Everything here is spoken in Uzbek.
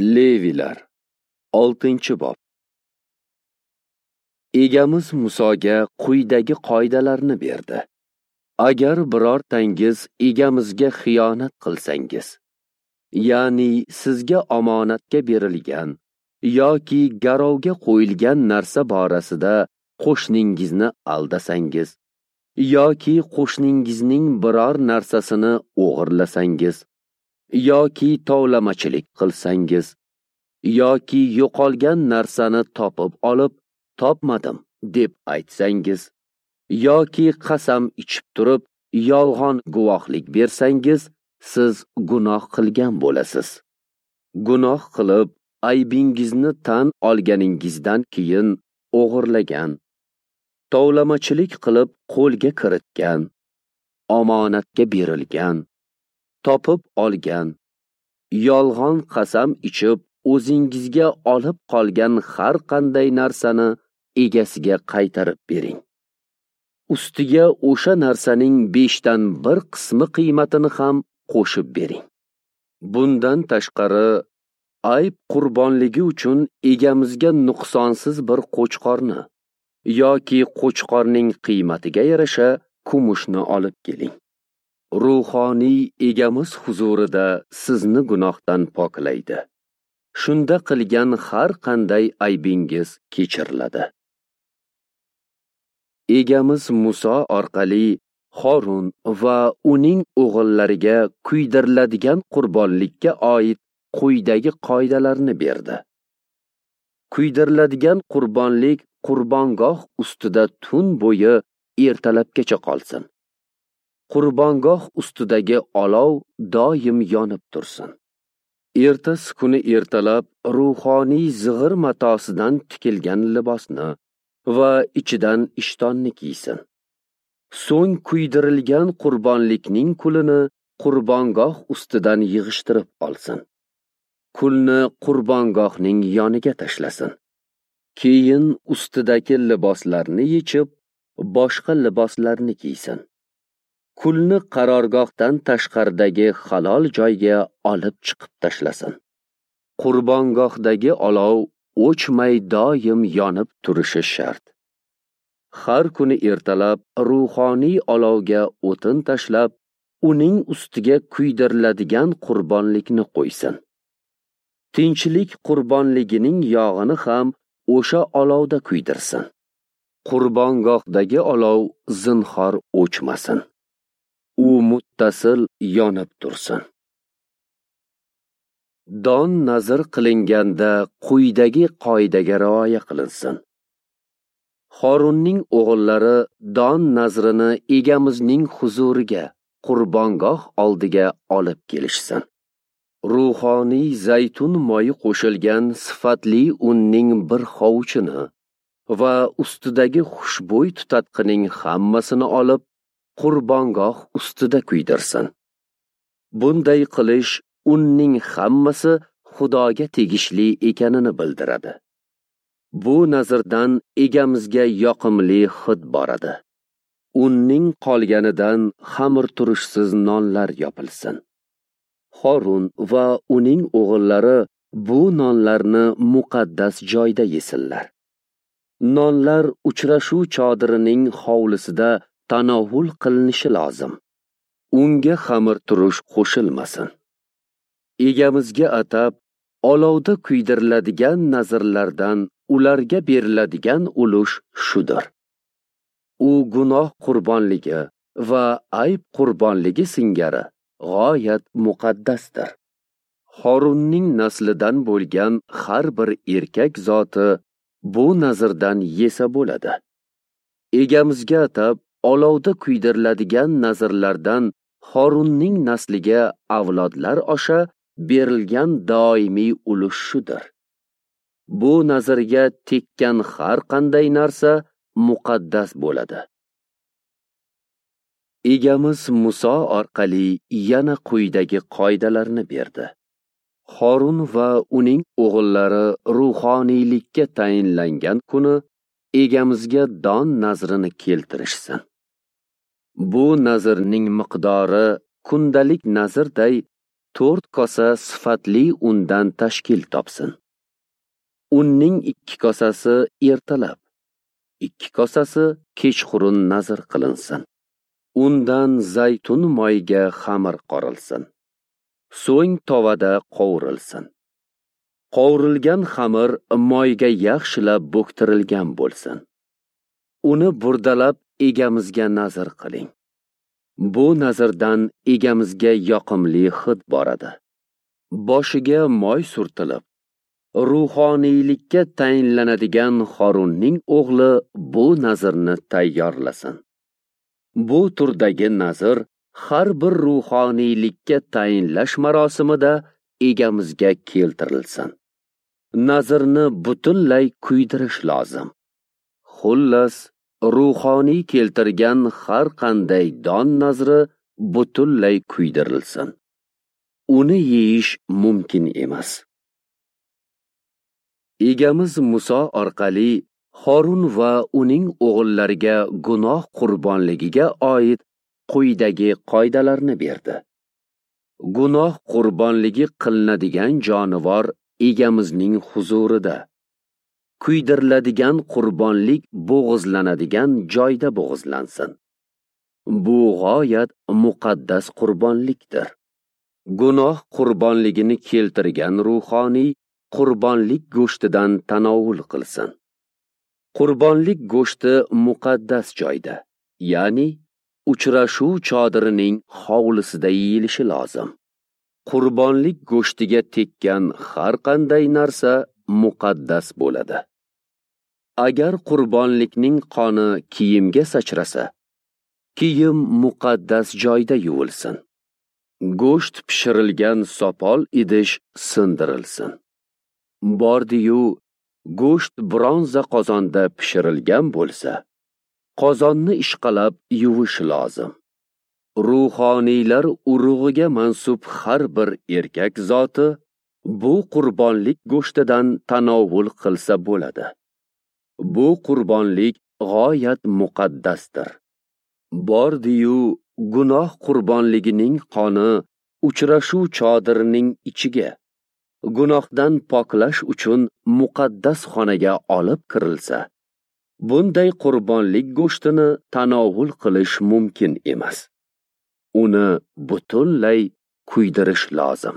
Levilar 6-bob. Egamiz Musoga quyidagi qoidalarni berdi. Agar birortangiz egamizga xiyonat qilsangiz, ya'ni sizga omonatga berilgan yoki garovga qo'yilgan narsa borasida qo'shningizni aldasangiz yoki qo'shningizning biror narsasini o'g'irlasangiz yoki tovlamachilik qilsangiz yoki yo'qolgan narsani topib olib topmadim deb aytsangiz yoki qasam ichib turib yolg'on guvohlik bersangiz, siz gunoh qilgan bo'lasiz. Gunoh qilib aybingizni tan olganingizdan keyin o'g'irlagan, tovlamachilik qilib qo'lga kiritgan, omonatga berilgan, topib olgan, yolg'on qasam ichib o'zingizga olib qolgan har qanday narsani egasiga qaytarib bering. Ustiga o'sha narsaning 1/5 qismi qiymatini ham qo'shib bering. Bundan tashqari, ayb qurbonligi uchun egamizga nuqsonsiz bir qo'chqorni yoki qo'chqorning qiymatiga yarasha kumushni olib keling. Ruhoniy egamiz huzurida sizni gunohdan poklaydi. Shunda qilgan har qanday aybingiz kechiriladi. Egamiz Muso orqali Horun va uning o'g'illariga kuydiriladigan qurbonlikka oid quyidagi qoidalarni berdi. Kuydiriladigan qurbonlik qurbongoh ustida tun bo'yi ertalabgacha qolsin. Qurbongoh ustidagi olov doim yonib tursin. Ertasi kuni ertalab ruhoniy zig'ir matosidan tikilgan libosni va ichidan ishtonni kiysin. So'ng kuydirilgan qurbonlikning kulini qurbongoh ustidan yig'ishtirib olsin. Kulni qurbongohning yoniga tashlasin. Keyin ustidagi liboslarni yechib, boshqa liboslarni kiysin. Kulni qarorgohdan tashqaridagi halol joyga olib chiqib tashlasin. Qurbongohdagi olov o'chmay doim yonib turishi shart. Har kuni ertalab ruhoniy olovga o'tin tashlab, uning ustiga kuydiriladigan qurbonlikni qo'ysin. Tinchlik qurbonligining yog'ini ham o'sha olovda kuydirsin. Qurbongohdagi olov zinhor o'chmasin. U muttasil yonib tursin. Don nazr qilinganda quyidagi qoidaga rioya qilinsin. Horunning o'g'illari don nazrini egamizning huzuriga, qurbongoh oldiga olib kelishsin. Ruhoniy zaytun moyi qo'shilgan sifatli unning bir hovuchini va ustidagi xushbo'y tutatqining hammasini olib, qurbongoh ustida kuydirsin. Bunday qilish unning hammasi Xudoga tegishli ekanini bildiradi. Bu nazrdan egamizga yoqimli hid boradi. Unning qolganidan xamirturushsiz nonlar yopilsin. Horun va uning o'g'illari bu nonlarni muqaddas joyda yesinlar. Nonlar uchrashuv chodirining hovlisida tanovul qilinishi lozim. Unga xamirturush qo'shilmasin. Egamizga atab olovda kuydiriladigan nazrlardan ularga beriladigan ulush shudir. U gunoh qurbonligi va ayb qurbonligi singari g'oyat muqaddasdir. Horunning naslidan bo'lgan har bir erkak zoti bu nazrdan yesa bo'ladi. Egamizga atab olovda kuydiriladigan nazrlardan Horunning nasliga avlodlar osha berilgan doimiy ulush shudir. Bu nazrga tekkan har qanday narsa muqaddas bo'ladi. Egamiz Muso orqali yana quyidagi qoidalarni berdi. Horun va uning o'g'illari ruhoniylikka tayinlangan kuni egamizga don nazrini keltirishsin. Bu nazrning miqdori kundalik nazrday 4 kosa sifatli undan tashkil topsin. Unning 2 kosasi ertalab, 2 kosasi kechqurun nazr qilinsin. Undan zaytun moyiga xamir qorilsin. So'ng tovada qovurilsin. Qovurilgan xamir moyga yaxshilab bo'ktirilgan bo'lsin. Uni burdalab egamizga nazr qiling. Bu nazrdan egamizga yoqimli hid boradi. Boshiga moy surtilib, ruhoniylikka tayinlanadigan Xorunning o'g'li bu nazrni tayyorlasin. Bu turdagi nazr har bir ruhoniylikka tayinlash marosimida egamizga keltirilsin. Nazrni butunlay kuydirish lozim. Xullas, ruhoniy keltirgan har qanday don nazri butunlay kuydirilsin. Uni yeyish mumkin emas. Egamiz Muso orqali Xorun va uning o'g'illariga gunoh qurbonligiga oid quyidagi qoidalarni berdi. Gunoh qurbonligi qilinadigan jonivor egamizning huzurida, kuydiriladigan qurbonlik bo'g'izlanadigan joyda bo'g'izlansin. Bu g'oyat muqaddas qurbonlikdir. Gunoh qurbonligini keltirgan ruhoniy qurbonlik go'shtidan tanovul qilsin. Qurbonlik go'shti muqaddas joyda, ya'ni uchrashuv chodirining hovlisida yeyilishi lozim. Qurbonlik go'shtiga tekkan har qanday narsa muqaddas bo'ladi. Agar qurbonlikning qoni kiyimga sachrasa, kiyim muqaddas joyda yuvilsin. Go'sht pishirilgan sopol idish sindirilsin. Bordi-yu go'sht bronza qozonda pishirilgan bo'lsa, qozonni ishqalab yuvish lozim. Ruhoniylar urug'iga mansub har bir erkak zoti bu qurbonlik go'shtidan tanovul qilsa bo'ladi. Bu qurbonlik g'oyat muqaddasdir. Bordi-yu gunoh qurbonligining qoni uchrashuv chodirining ichiga, gunohdan poklash uchun muqaddas xonaga olib kirilsa, bunday qurbonlik go'shtini tanovul qilish mumkin emas. Uni butunlay kuydirish lozim.